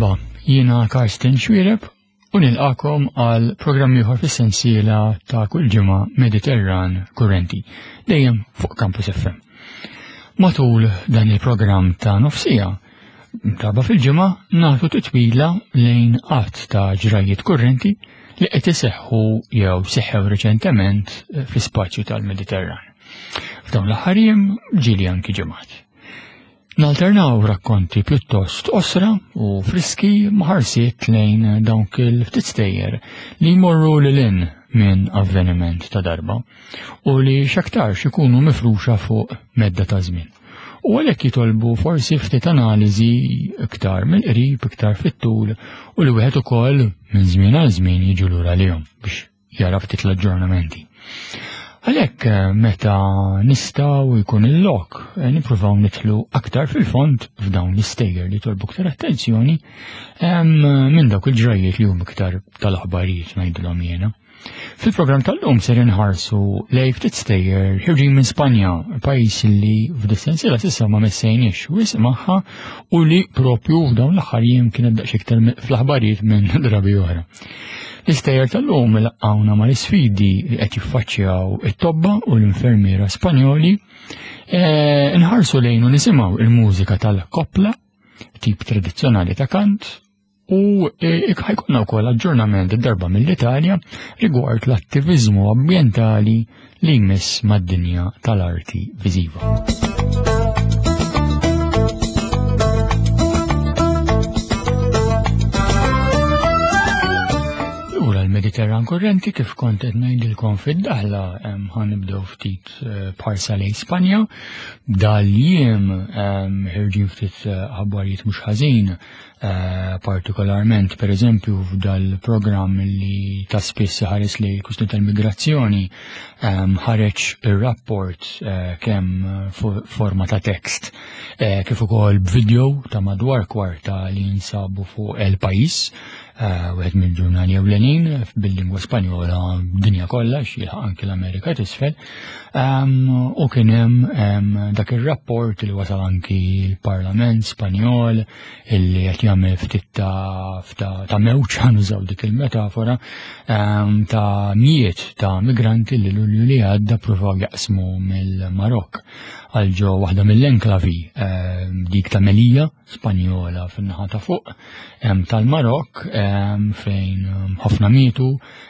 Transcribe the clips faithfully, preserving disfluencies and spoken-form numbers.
Merħba, jiena Karsten Xuereb u nilqakom għal programm ieħor fis-sensiela ta' kull ġimgħa Mediterran Kurrenti, dejjem fuq Campus F M. Matul dan il-programm ta' nofsija, darba fil-ġimgħa nagħtu titwila lejn qatt ta' ġrajiet kurrenti li qed iseħħu jew seħħew reċentement fl-ispazju tal-Mediterran. F'dawn l-aħħar jiem ġieli anki ġimgħat. Nalternaw rakkonti pjuttost osra u friski maħarsiet lejn dawk il-ftit stejjer li jmorru lil hinn minn avveniment ta' darba u li x'aktarx ikunu mifruxa fuq medda ta' żmien. U għalhekk jitolbu forsi ftit analiżi iktar mill-qrib, iktar fit-tul u li wieħed ukoll minn żmien għal żmien jiġu lura lihom biex jara ftit l-aġġornamenti. Għalhekk meta nistgħu jkun il-lok nippruvaw nidħlu aktar fil-fond f'dawn l-istejjer li jitolbu aktar attenzjoni minn dawk il-ġrajiet li huma iktar tal-aħbarijiet ngħidilhom jiena. Fil-programm tal-lum ser inħarsu lejn ftit stejjer ħirġin minn Spanja, pajjiż li f'dis-sensiela s'issa ma messejniex wisq magħha u li propju f'dawn l-aħħar jiem kienet daqs iktar fl-aħbarijiet minn drabi oħra. L-istejjer tal-lum laqgħuna mal-isfidi li qed jiffaċċjaw it-tobba u l-infermiera Spanjoli, nħarsu lejn u nisimgħu il-mużika tal-kopla, tip tradizzjonali ta' kant, u ħajkonna wkoll aġġornament darba mill-Italja rigward l-attiviżmu ambjentali li jmiss mad-dinja tal-arti viżiva. Lura l-Mediterran Kurrenti, kif kont qed ngħidilkom fid-daħla, ħanibdew ftit b'ħarsa lejn Spanja. Dal-jiem ħirġin ftit aħbarijiet mhux ħażin, partikolarment pereżempju f'dal-programm li ta' spiss ħares lejn il-kwistjoni tal-migrazzjoni, ħareġ ir-rapport kemm forma ta' tekst kif ukoll b'video ta' madwar kwarta li jinsabu fuq El País, wieħed mill-ġurnali ewlenin bil-lingwa Spanjola dinja kollha x'jilħaq anki l-Amerika t'isfel, u kien hemm dak ir-rapport li wasal anki l-Parlament Spanjol illi qed jagħmel ftit ta' mewġ, ħanużaw dik il-metafora, ta' mijiet ta' migranti li Lulju li għadda pruvaw jaqsmu mill-Marokk għal ġo waħda mill-enklavi dik ta' Melilla Spanjola fin-naħa ta' fuq tal-Marokk, fejn ħafna mietu,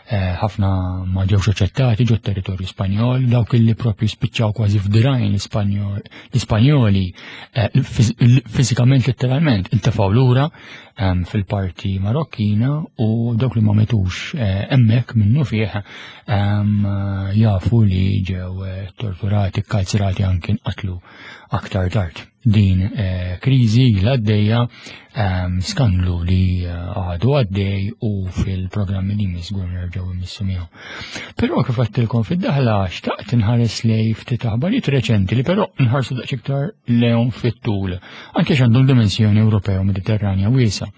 ħafna ma ġewx aċċettati ġo territorju Spanjol, dawk li propju spiċċaw kważi f'dirajn l-Ispanjoli fiżikament letteralment intefgħu lura fil-parti Marokkina, u dawk li ma metux hemmhekk minnu fih jafu li ġew torturati, kkalzrati, anki nqatlu aktar tard. Din kriżi l-għaddejja, skandlu li għadu għaddej u fil-programmi li żgur nerġgħu immissu miegħu. Però kif għedtilkom fid-daħla xtaqt inħares lej ftit aħbarijiet reċenti li però nħarsu daqs iktar lejhom fit-tul, anke għandhom dimensjoni Ewropea u Mediterranja wiesa.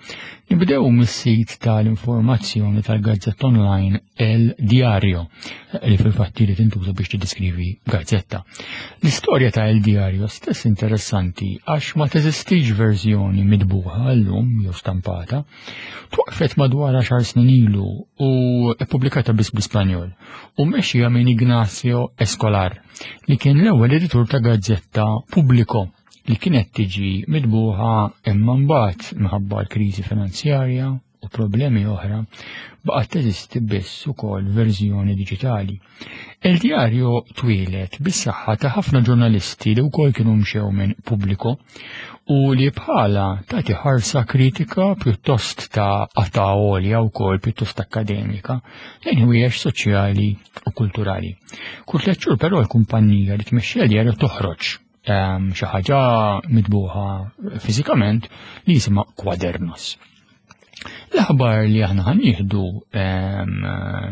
Nibdew mis-sit tal-informazzjoni tal-gazzetta online El Diario, li fil-fatt li tintuża biex tiddeskrivi gazzetta. L-istorja ta' El Diario stess interessanti għax ma teżistix verżjoni midbuħa llum jew stampata, twaqfet madwar għaxar snin ilu u ippubblikata biss bl-Ispanjol u mexxija minn Ignacio Escolar, li kien l-ewwel editur ta' gazzetta Pubblico li kienet tiġi midbuħa imma mbagħad minħabba l-kriżi finanzjarja u problemi oħra baqgħet teżisti biss ukoll verżjoni diġitali. El Diario twieled bis-saħħa ta' ħafna ġurnalisti li wkoll kienu mxew minn Pubblico u li bħala tagħti ħarsa kritika pjuttost ta' qata' għolja wkoll pjuttost akademika lejn ħwiex soċjali u kulturali. Kull tliet xhur però l-kumpanija li tmexxi El Diario toħroġ xi ħaġa mitbuħa fiżikament li jisimha Quadernos. L-aħbar li aħna ħanieħdu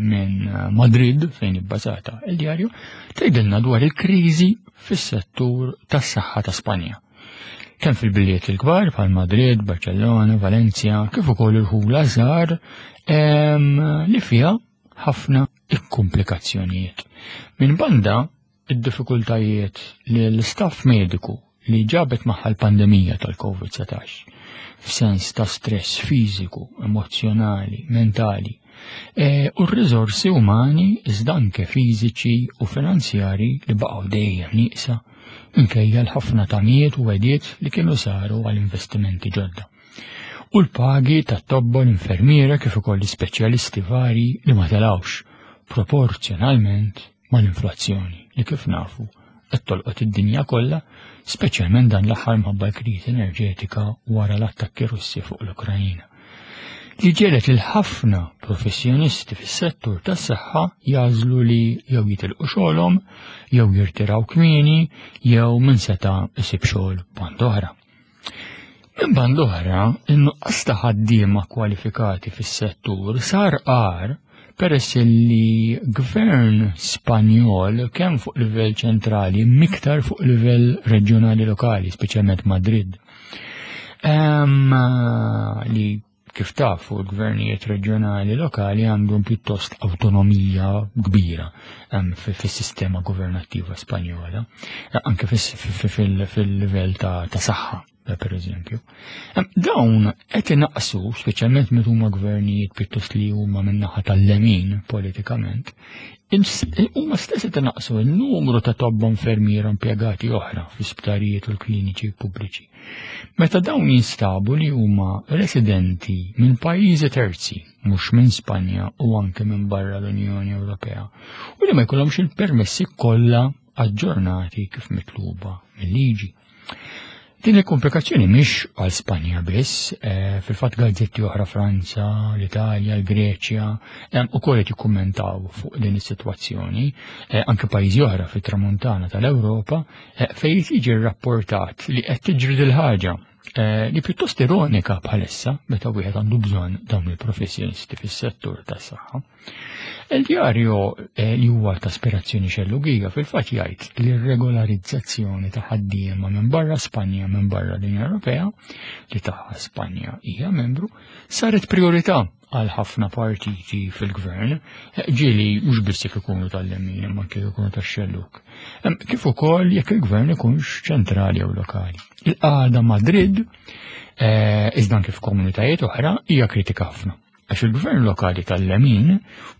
minn Madrid fejn ibbażata El Diario tgħidilna dwar il-kriżi fis-settur tas-saħħa ta' Spanja. Kemm fil-bliet il-kbar bħal Madrid, Barcellona, Valencia, kif ukoll il-ħula żgħar li fiha ħafna ikkumplikazzjonijiet. Minn banda id-diffikultajiet li l-istaff mediku li ġabet magħha l-pandemija tal-Covid setax, f'sens ta' stress fiżiku, emozjonali, mentali, e, u r-riżorsi umani iżda anke fiżiċi u finanzjari li baqgħu dejjem nieqsa minkejja l-ħafna tamiet u wegħdiet li kienu saru għal investimenti ġodda. U l-pagi tat-tobba, l-infermiera kif ukoll l-ispeċjalisti vari li ma telgħux proporzjonalment mal-inflazzjoni li kif nafu qed tolqot id-dinja kollha, speċjalment dan l-aħħar minħabba l-kriżi enerġetika wara l-attakki Russi fuq l-Ukrajina, li ġiegħlet lil ħafna professjonisti fis-settur tas-saħħa jagħżlu li jew jitilqu xogħolhom, jew jirtiraw kmieni, jew min seta' isib xogħol band oħra. Minn band oħra, in-nuqqas ta' ħaddiema kwalifikati fis-settur sar qar peress li gvern Spanjol kemm fuq livell ċentrali miktar fuq livell reġjonali lokali, speċjalment Madrid. Em, li kif tafu l-gvernijiet reġjonali lokali għandhom pjuttost autonomija kbira em, fi- fis-sistema governattiva Spanjola, anke fis- fi- fil- fil-livell ta' ta' saħħa, per eżempju. Em, Dawn qed inaqsu, speċjalment meta huma gvernijiet pjuttost li huma min-naħa tal-lemin politikament, ins- huma stess qed inaqsu n-numru ta' tobba, infermiera, impjegati oħra fl-isptarijiet u l-kliniċi pubbliċi. Meta dawn jinstabu li huma residenti minn pajjiżi terzi, mhux minn Spanja u anke minn barra l-Unjoni Ewropea, u li ma jkollhomx il-permessi kollha aġġornati kif mitluba mill-liġi. Din il-komplikazzjoni mhix għal Spanja biss, eh, fil-fatt gazzetti oħra Franza, l-Italja, l-Greċja, eh, ukoll qed jikkummentaw fuq din is-sitwazzjoni, eh, anke pajjiżi oħra fit-tramuntana tal-Ewropa, eh, fejn jiġi rrapportat li qed tiġri dil-ħaġa eh, li pjuttost ironika bħalissa meta wieħed għandu bżonn dawn il-professjonisti fis-settur tas-saħħa. El Diario eh, li huwa ta' aspirazzjoni xellugija fil-fatt jgħid li r-regolarizzazzjoni ta' ħaddiema minn barra Spanja, minn barra l-Unjoni Ewropea, li tagħha Spanja hija membru, saret priorità għal ħafna partiti fil-gvern, eh, ġieli mhux biss jekk ikunu tal-lemin imma kif ikunu tax-xelluk. Em, Kif ukoll jekk il-gvern ikunx ċentrali jew lokali. Il-qagħda Madrid, eh, iżda kif komunitajiet oħra, hija kritika ħafna. Għax il-gvern lokali tal-lemin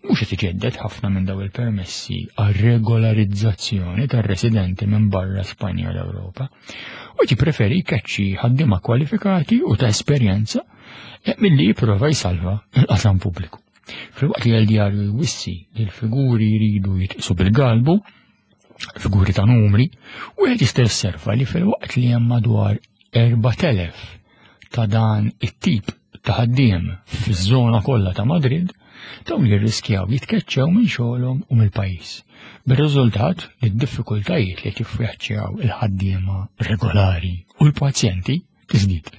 mhux qed iġedded ħafna minn daw il-permessi għal regolarizzazzjoni tar-residenti minn barra Spanja u l-Ewropa. U jippreferi jkeċċi ħaddiema kwalifikati u ta' esperjenza eh, milli jipprova jsalva il-qasam pubbliku. Filwaqt li El Diario jwissi li l-figuri jridu jitqisu bil-galbu, figuri ta' numri, u qed jista' josserva li filwaqt li hemm madwar erbat elef ta' dan it-tip ta' ħaddiem fiż-żona kollha ta' Madrid, dawn jirriskjaw jitkeċċew minn xogħolhom u mill-pajjiż. Bir-riżultat li d-diffikultajiet li jiffaċċjaw il-ħaddiema regolari u l-pazjenti tiżdied.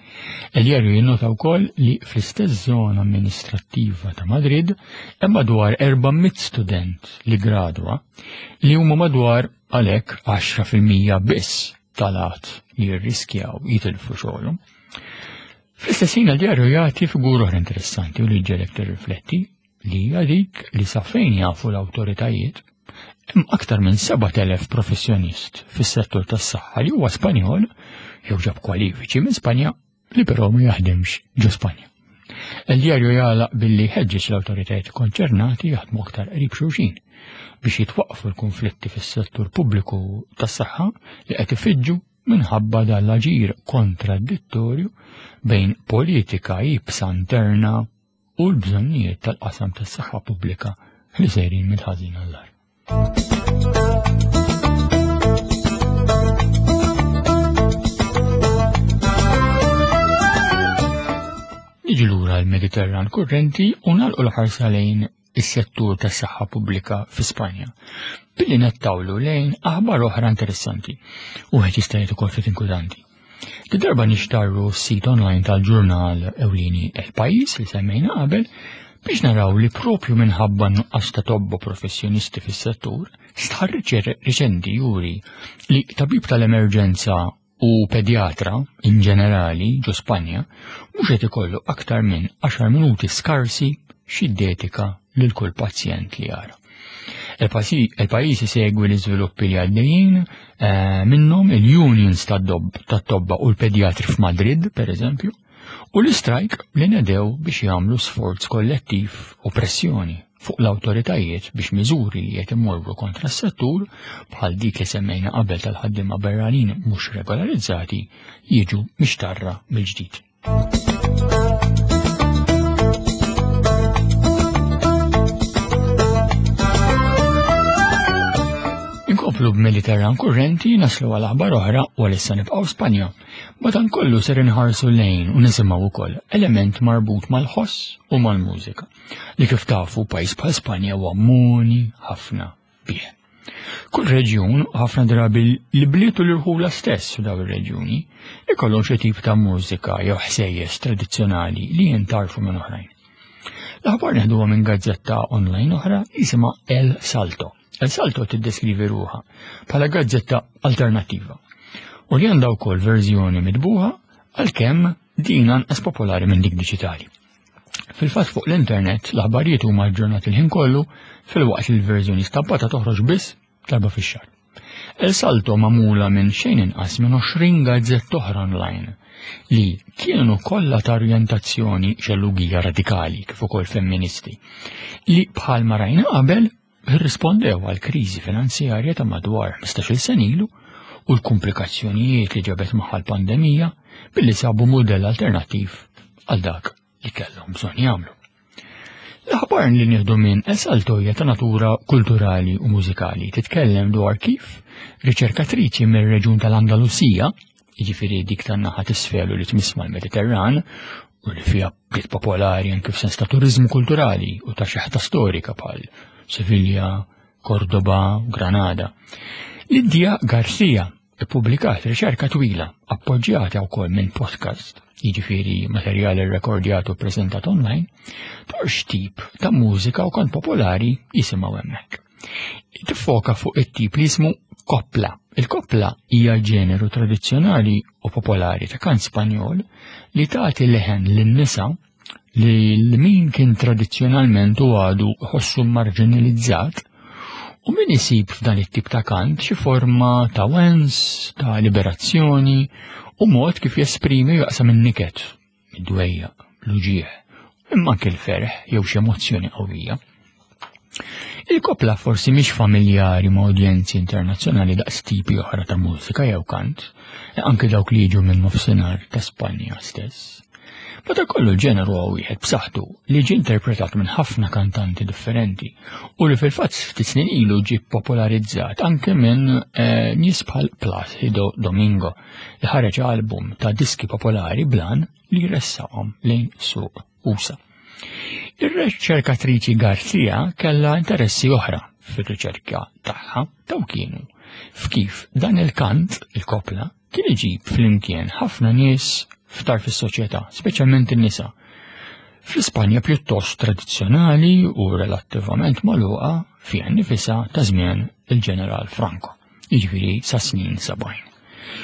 El Diario jinnota wkoll li fl-istess żona amministrattiva ta' Madrid hemm madwar erba' mitt student li gradwa li huma madwar għalhekk għaxra fil-mija biss tal-għadd li jirriskjaw jitilfu xogħolhom. Fl-istess ħin El Diario jagħti figura oħra interessanti u li ġġiegħlek tirrifletti, li hija dik li sa fejn jafu l-awtoritajiet hemm aktar minn sebat elef professjonist fis-settur tas-saħħa li huwa Spanjol jew ġab kwalifiċi minn Spanja li però ma jaħdimx ġo Spanja. El Diario jagħlaq billi ħeġġeġ l-awtoritajiet konċernati jaħdmu aktar qrib xulxin biex jitwaqfu l-konflitti fis-settur pubbliku tas-saħħa li qed ifiġġu minħabba dal-aġir kontradittorju bejn politika iebsa interna u l-bżonnijiet tal-qasam tas-saħħa pubblika li sejrin mill-ħażin għall-agħar. Niġi lura l-Mediterran kurrenti u nagħlqu l-ħarsa lejn is-settur tas-saħħa pubblika fi Spanja billi nettawlu lejn aħbar oħra interessanti u qed jista' jgħid ukoll ftit inkwetanti. Di darba nixtarru s-sit online tal-ġurnal ewlieni El País li semmejna qabel biex naraw li propju minħabba nuqqas ta' tobba professjonisti fis-settur, stħarriġ riċenti juri li tabib tal-emerġenza u pedjatra in ġenerali ġo Spanja mhux qed ikollu aktar minn għaxar minuti skarsi x'jiddedika lil kull pazjent li jara. El País isegwi l-iżviluppi li għaddejjin eh, minnhom il-unions tad-tobba u l-pedjatri f'Madrid, per eżempju, U l-istrajk li nedew biex jagħmlu sforz kollettiv u pressjoni fuq l-awtoritajiet biex miżuri li qed imorru kontra s-settur bħal dik li semmejna qabel tal-ħaddiema barranin mhux regolarizzati jiġu mixtarra mill-ġdid. Inkomplu b'Mediterran kurrenti naslu għal aħbar oħra u għalissa nibqgħu Spanja. Madankollu ser inħarsu lejn u nisimgħu wkoll element marbut mal-ħoss u mal-mużika li kif tafu pajjiż bħal Spanja huwa muni ħafna bih. Kull reġjun, ħafna drabi l-bliet u l-irħula stess f'daw ir-reġjuni, ikollhom xi tip ta' mużika jew ħsejjes tradizzjonali li jintarfu minn oħrajn. L-aħbar neħduha minn gazzetta online oħra jisimha El Salto. El Salto tiddeskrivi ruħha bħala gazzetta alternattiva u li għandha wkoll verżjoni mitbuħa għalkemm din anqas popolari minn dik diġitali. Fil-fatt fuq l-internet l-aħbarijiet huma aġġornati l-ħin kollu filwaqt li l-verżjoni stampata toħroġ biss darba fix-xahar. El Salto magħmula minn xejn inqas minn għoxrin gazzetta oħra online li kienu kollha ta' orjentazzjoni xellugija radikali kif ukoll femministi li bħalma rajna qabel irrispondew għal kriżi finanzjarja ta' madwar ħmistax-il sena ilu u l-komplikazzjonijiet li ġabet magħha l-pandemija billi sabu mudell alternattiv għal dak li kellhom bżonn jagħmlu. L-aħbar li nieħdu minn El Salto hija ta' natura kulturali u mużikali titkellem dwar kif riċerkatriċi mir-reġjun tal-Andalusija, jiġifieri dik tan-naħa t'isfel u li tmiss mal-Mediterran, u li fiha bliet popolari anke f'sens ta' turiżmu kulturali u ta' xeħta storika bħal Sevilla, Cordoba u Granada. Lidia Garcia ippubblikat riċerka twila appoġġjata wkoll minn podcast, jiġifieri materjali rrekordjat u ppreżentat online, dwar x'tip ta' mużika u kant popolari jisimgħu hemmhekk. Tiffoka fuq it-tip li jismu kopla. Il-kopla hija ġeneru tradizzjonali u popolari ta' kant Spanjol li tagħti leħen lin-nisa li l-min kien tradizzjonalment u għadu ħossu marginalizzat u min isib f'dan it-tip ta' kant xi forma ta' wens, ta' liberazzjoni u mod kif jesprimi u jaqsam in-niket, id-dwejjaq, l-uġieħ, imma anke l-ferħ jew xi emozzjoni qawwija. Il-kopla forsi mhix familjari ma' udjenzi internazzjonali daqs tipi oħra ta' mużika jew kant, anke dawk li jiġu minn nofsinhar ta' Spanja stess. Madankollu l-ġeneru huwa wieħed b'saħħtu li ġie interpretat minn ħafna kantanti differenti u li fil-fatt ftit snin ilu ġie popolarizzat anke minn, eh, nies bħal Placido Domingo li ħareġ album ta' diski popolari blan li jressaqhom lejn suq usa. Ir-riċerkatriċi Garcia kellha interessi oħra fir-riċerka tagħha daw kienu f'kif dan il-kant, il-kopla, kien iġib flimkien ħafna nies ftar fis-soċjetà, speċjalment in-nisa. Fl-Ispanja pjuttost tradizzjonali u relattivament magħluqa fiha nnifisha ta' żmien il-Ġeneral Franco, jiġifieri sa snin sebgħin.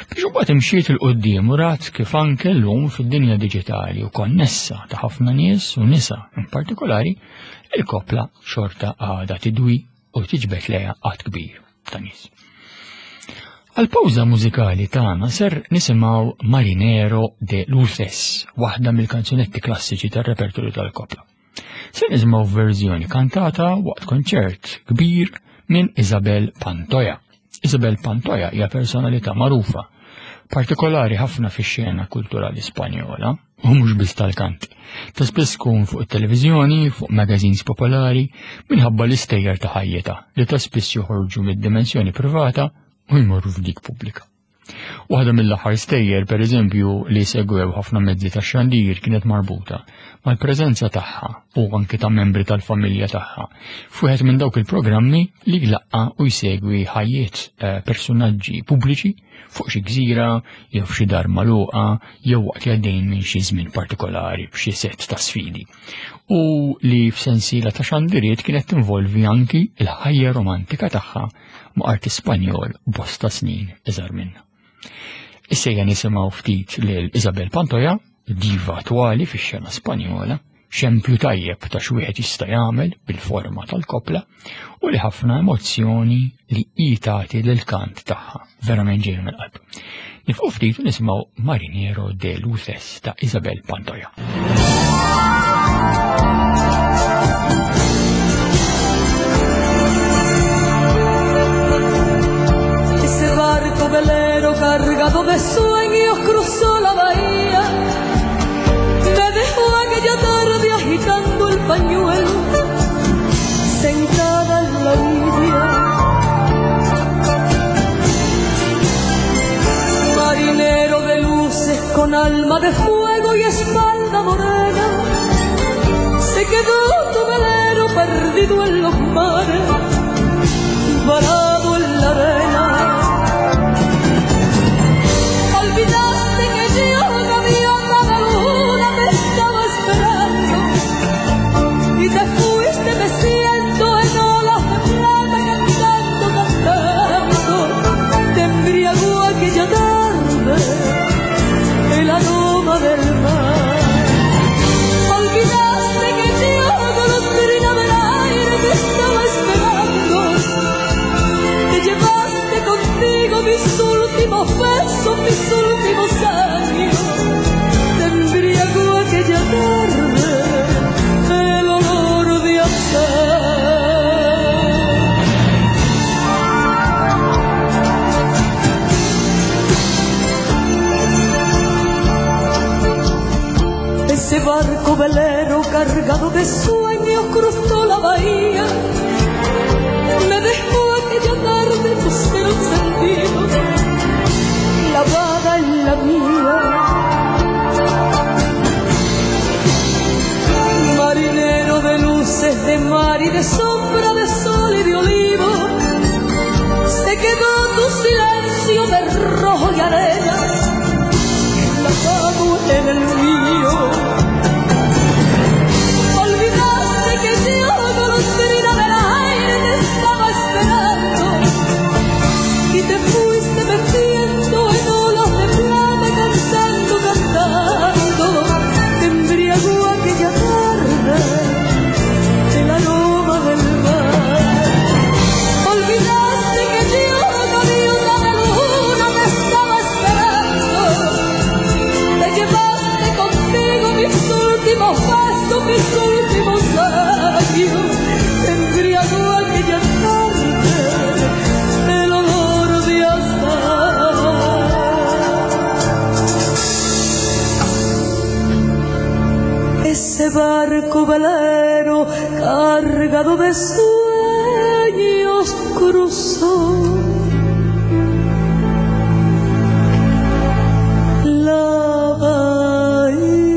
Biex imbagħad imxiet il quddiem u rat kif anke llum fid-dinja diġitali u konnessa ta' ħafna nies u nisa in partikolari, il-kopla xorta għadha tidwi u tiġbed lejha għadd kbir ta' nies. Għal-pawża mużikali tagħna ser nisimgħu Marinero de Luces, waħda mill-kanzunetti klassiċi tar-repertorju tal-kopla. Ser nisimgħu verżjoni kantata waqt konċert kbir minn Isabel Pantoja. Isabel Pantoja hija personalità magħrufa, partikolari ħafna fix-xena kulturali Spanjola, u mhux biss tal-kant. Ta' spiss tkun fuq it-televiżjoni, fuq magazines popolari, minħabba l-istejjer ta' ħajjitha li ta' spiss joħorġu mid-dimensjoni privata u jmorru f'dik pubblika. Waħda mill-aħħar stejjer, per eżempju, li segwew ħafna mezzi ta' xandir kienet marbuta mal-preżenza tagħha u anke ta' membri tal-familja tagħha f'wieħed minn dawk il-programmi li jlaqqa u jsegwi ħajjiet, eh, personaġġi pubbliċi fuq xi gżira jew f'xi dar magħluqa jew waqt li għaddejn minn xi żmien partikolari b'xi sett ta' sfidi. U li f'sensiela ta' xandiriet kienet tinvolvi anki l-ħajja romantika tagħha ma' artist Spanjol bosta snin iżgħar minnha. Issa ejja nisimgħu ftit lil Isabel Pantoja, diva attwali fix-xena Spanjola, Xempju tajjeb ta' x'wieħed jista' jagħmel bil-forma tal-kopla u li ħafna emozzjoni li hi tagħti lill-kant tagħha, verament ġejja mill-qalb. Nieqfu ftit u nisimgħu Marinero de Luces ta' Isabel Pantoja. Ese barco velero cargado de sueños cruzó la bahía. Me dejó aquella tarde agitando el pañuelo, sentada en la orilla. Marinero de luces con alma de fuego y espalda morena, se quedó tu velero perdido en los mares, varado en la arena. Olvidaste que yo, gaviota de luna, te estaba esperando y te fuiste meciendo en olas de plata, cantando, cantando. Te embriagó aquella tarde el aroma del mar. Olvidaste que yo, golondrina del aire, te estaba esperando. Te llevaste contigo mis últimos besos, mis últimos años. Te embriagó aquella tarde el olor de azar. Ese barco velero cargado de sueños cruzó la bahía. Me dejó aquella tarde tu celo encendido, clavada en la mía. Marinero de luces de mar y de sombra de sol y de olivo, se quedó tu silencio de rojo y arena, clavado en el mío. Olvidaste que yo, golondrina del aire, te estaba esperando y te fuiste meciendo en olas de plata, cantando, cantando. Te embriagó aquella tarde el aroma del mar. Olvidaste que yo, gaviota de luna, te estaba esperando. Te llevaste contigo mis últimos besos, mis últimos años. Te embriagó aquella tarde el olor de azar. Ese barco velero cargado de sueños cruzó la bahía.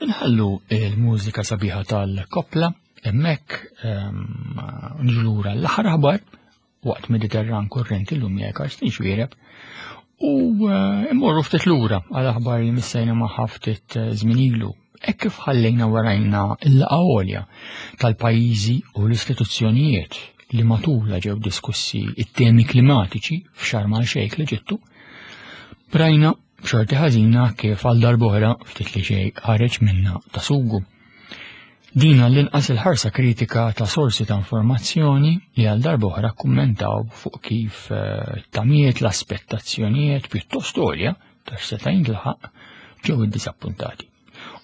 Inħallu il-mużika sabiħa tal-kopla hemmhekk nġlura l-aħħar aħbar waqt Mediterran Kurrenti llum jekk Karsten Xuereb u immorru ftit lura għal aħbar li missejna magħha ftit żmien ilu. Hekk kif ħallejna warajna l-laqgħa għolja tal-pajjiżi u l-istituzzjonijiet li matulha ġew diskussi it-temi klimatiċi f'Sharm el-Sheikh l-Eġittu, rajna b'xorti ħażina kif għal darb'oħra ftit li xejn ħareġ minna ta' sugu. Din għall-inqas il-ħarsa kritika ta' sorsi ta' informazzjoni li għal darb'oħra kummentaw fuq kif tamiet l-aspettazzjonijiet pjuttost għolja ta' x'seta' jintlaħaq ġew iddisappuntati.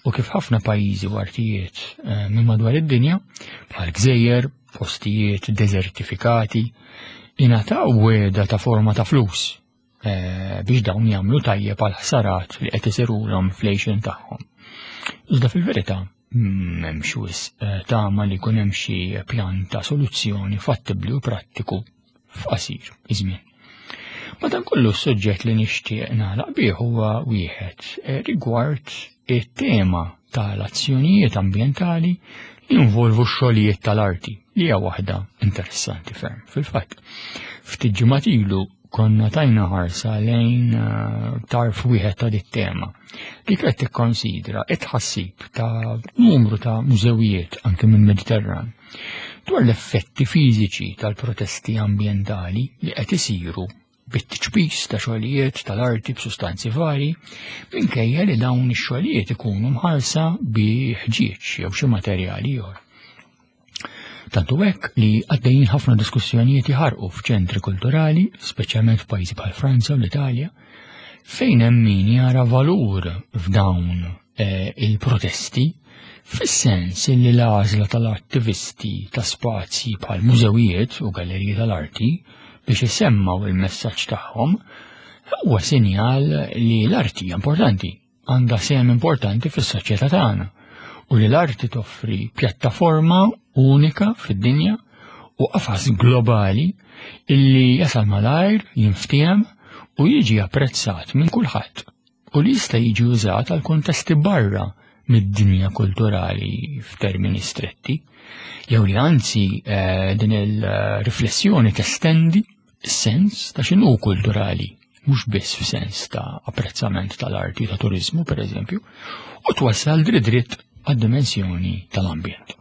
U kif ħafna pajjiżi u artijiet minn madwar id-dinja, bħal gżejjer, postijiet desertifikati, ingħataw wegħda ta' forma ta' flus biex dawn jagħmlu tajjeb għal ħsarat li qed isirulhom fl-għixien tagħhom. Iżda fil-verità m'hemmx wisq tama li jkun hemm xi pjan ta' soluzzjoni fattibbli u prattiku f'qasir iż-żmien. Madankollu s-suġġett li nixtieq nagħlaq bih huwa wieħed rigward it-tema tal-azzjonijiet ambjentali li jinvolvu x-xogħlijiet tal-arti, li hija waħda interessanti ferm. Fil-fatt, ftit ġimgħat ilu konna tajna ħarsa lejn eh, tarf wieħed ta' dit-tema li qed tikkonsidra it-tħassib ta' numru ta' mużewijiet anke minn Mediterran dwar l-effetti fiżiċi tal-protesti ambjentali li qed isiru bit-tiċpis ta' xogħlijiet tal-arti b'sustanzi vari minkejja li dawn ix-xogħlijiet ikunu mħarsa bi ħġieġ jew xi materjali ieħor. Tantu hekk li għaddejjin ħafna diskussjonijiet jħarqu f'ċentri kulturali, speċjalment f'pajjiżi bħal Franza u l-Italja, fejn hemm min jara valur f'dawn eh, il-protesti fis-sens li l-għażla tal-attivisti ta' spazji bħal mużewijiet u galleriji tal-arti biex isemmaw il-messaġġ tagħhom huwa sinjal li l-arti hija importanti, għandha sehem importanti fis-soċjetà tagħna u li l-arti toffri pjattaforma unika fid-dinja u qafas globali illi jasal malajr, jinftiem u jiġi apprezzat minn kulħadd u li jista' jiġi użat għal kontesti barra mid-dinja kulturali f'termini stretti, jew li anzi eh, din il-riflessjoni testendi s-sens ta' x'inhu kulturali, mhux biss f'sens ta' apprezzament tal-arti ta' turizmu, per eżempju, u twassal dritt dritt għad-dimensjoni tal-ambjent.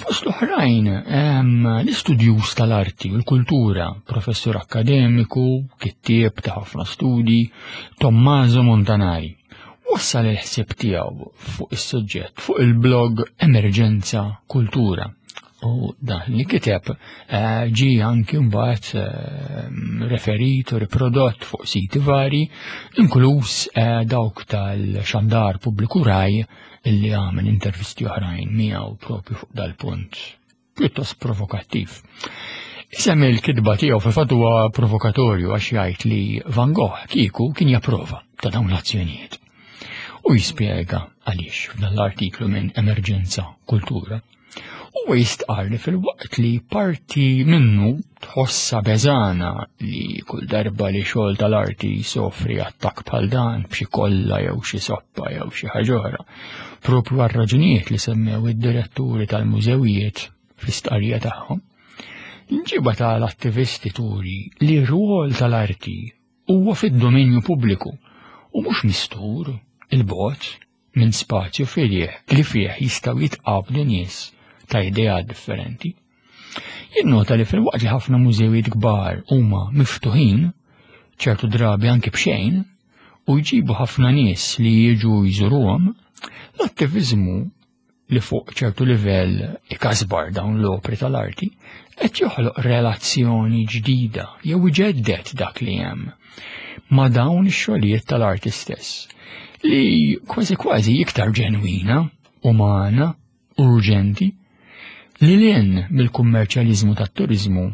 Fost l-oħrajn, l-istudjuż tal-arti u l-kultura, professur akkademiku, kittieb ta' ħafna studi, Tommaso Montanari, wassal il-ħsieb tiegħu fuq is-suġġett fuq il-blog Emerġenza Kultura. U dan li kiteb eh, ġi anki mbagħad eh, referit u riprodott fuq siti vari, inkluż eh, dawk tal-xandar pubbliku Rai illi għamel intervisti oħrajn miegħu propju fuq dal-punt pjuttost provokattiv. Isem il-kitba tiegħu fil-fatt huwa provokatorju għax jgħid li Van Gogh kieku kien japprova ta' dawn l-azzjonijiet. U jispjega għaliex f'dan l-artiklu minn Emerġenza Kultura. Huwa jistqar li fil-waqt li parti minnu tħossa beżana li kull darba li xogħol tal-arti jsofri attakk bħal dan b'xi kolla jew xi soppa jew xi ħaġa oħra, propju għal raġunijiet li semmew id-diretturi tal-mużewijiet fl-istqarrija tagħhom. L-imġiba tal-attivisti turi li r-rwol tal-arti huwa fid-dominju pubbliku u mhux mistur il-bogħod minn spazju fih li fih jistgħu jitqabdu nies ta' ideat differenti. Jinnota li fil-waqt li ħafna mużewijiet kbar huma miftuħin, ċertu drabi anki b'xejn, u jġibu ħafna nies li jiġu jżuruhom, l-attiviżmu li fuq ċertu livell ikasbar dawn l-opri tal-arti, qed joħloq relazzjoni ġdida jew iġeddet dak li hemm ma' dawn ix-xogħlijiet tal-arti stess, li kważi kważi iktar ġenwina, umana, urġenti, li lin mill-kummerċjaliżmu tat-turizmu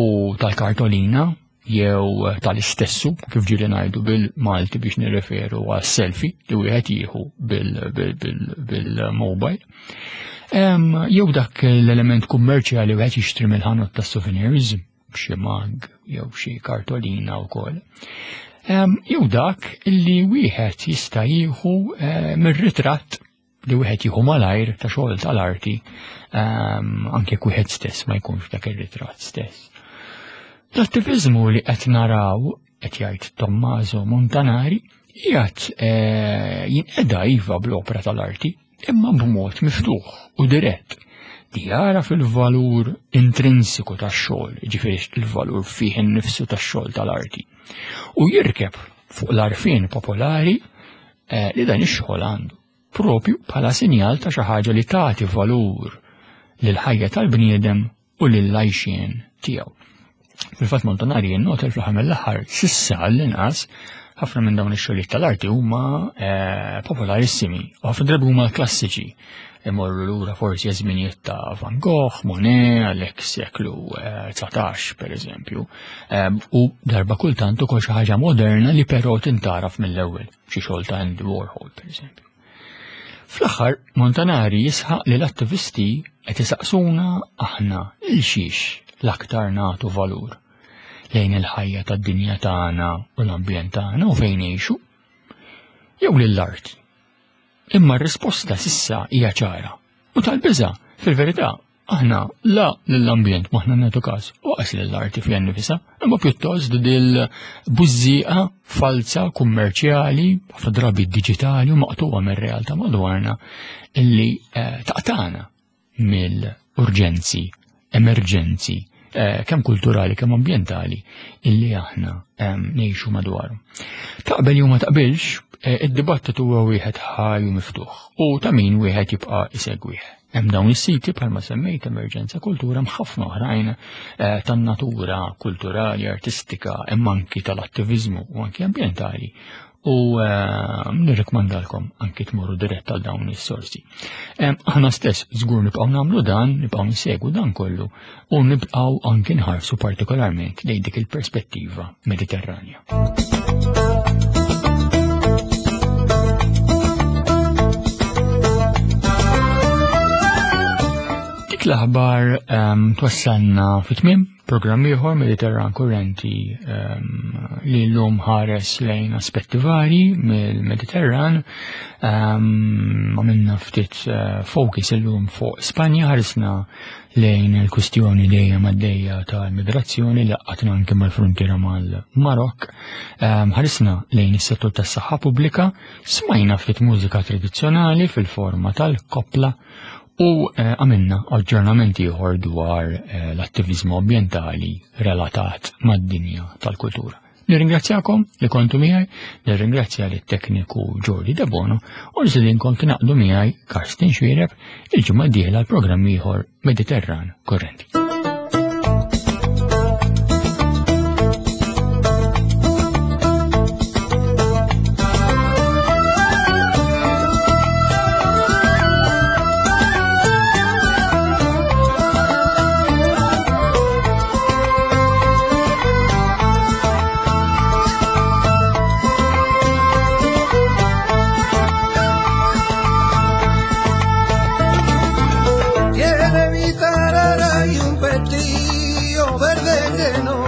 u tal-kartolina jew tal-istessu, kif ġieli ngħidu bil-Malti biex nirreferu għas selfie li wieħed jieħu bil-mobile. Jew dak l-element kummerċjali wieħed jixtri mill-ħanut tas-souvenirs, xi mag jew xi kartolina wkoll. Jew dak li wieħed jista' jieħu eh, mir-ritratt li wieħed jieħu malajr ta' xogħol tal-arti anke jekk wieħed stess ma jkunx dak ir-ritratt stess. L-attiviżmu li qed naraw, qed jgħid Tommaso Montanari, qiegħed eh, jinqeda iva bl-opra tal-arti, imma b'mod miftuħ u dirett li jara fil-valur intrinsiku tax-xogħol, jiġifieri il-valur fih innifsu tax-xogħol tal-arti, u jirkeb fuq l-arfin popolari eh, li dan ix-xogħol għandu, propju bħala sinjal ta' xi ħaġa li tagħti valur lil ħajja tal-bniedem u lil-għajxien tiegħu. Fil-fatt Montanari jinnota fl-aħħar mill-aħħar sissa għall-inqas ħafna minn dawn ix-xogħlijiet tal-arti huma eh, popolarissimi u ħafna drabi huma klassiċi. Imorru lura forsi żminijiet ta' Van Gogh, Monet, għalhekk seklu eh, dsatax per eżempju. Eh, u darba kultant ukoll xi ħaġa moderna li però tintaraf mill-ewwel, xi xogħol ta' Andy Warhol per eżempju. Fl-aħħar Montanari jisħaq li l-attivisti qed isaqsuna aħna il xiex l-aktar nagħtu valur lejn il-ħajja tad-dinja tagħna u l-ambjent tagħna u fejn ngħixu, jew lill-arti. Imma r-risposta sissa hija ċara u tal-biża' fil-verità Aħna la lill-ambjent m'aħna nagħtu każ u qas lill-arti fiha nnifisha, imma pjuttost dil-bużżieqa falsa kummerċjali, ħafna drabi diġitali u maqtuwa mir-realtà madwarna illi eh, taqtana mill-urġenzi, emerġenzi, eh, kemm kulturali kemm ambjentali illi aħna ehm, ngħixu madwaru. Taqbel jew ma taqbilx, eh, id-dibattitu huwa wieħed ħaj u miftuħ u ta' min wieħed jibqa' isegwih. Hemm dawn is-siti bħalma semmejt Emerġenza Kultura hemm ħafna oħrajn eh, tan-natura kulturali, artistika, hemm anki tal-attiviżmu u anki ambjentali u eh, nirrikmandalkom anki tmorru dirett għal dawn is-sorsi. Eh, Aħna stess żgur nibqgħu nagħmlu dan, nibqgħu nsegwu dan kollu u nibqgħu anki nħarsu partikolarment lejn dik il-perspettiva Mediterranja. Dik l-aħbar um, twassalna fit-tmiem programm ieħor Mediterran Kurrenti um, li llum ħares lejn aspetti vari mill-Mediterran. Um, għamilna ftit uh, focus illum fuq Spanja, ħarisna lejn il-kwistjoni dejjem għaddejja tal-migrazzjoni li qatna anke mal-frontiera mal-Marok. Um, ħarisna lejn is-settur tas-saħħa pubblika, smajna ftit mużika tradizzjonali fil-forma tal-koppla u eh, għamilna aġġornament ieħor dwar eh, l-attiviżmu ambjentali relatat mad-dinja tal-kultura. Nirringrazzjakom li kontu miegħi, nirringrazzja lit tekniku Jordi Debono u nistedinkom tingħaqdu miegħi Karsten Xuereb il-ġimgħa d-dieħla l-programm ieħor Mediterran Kurrenti. Tiene mi tarara y un vestido verde que no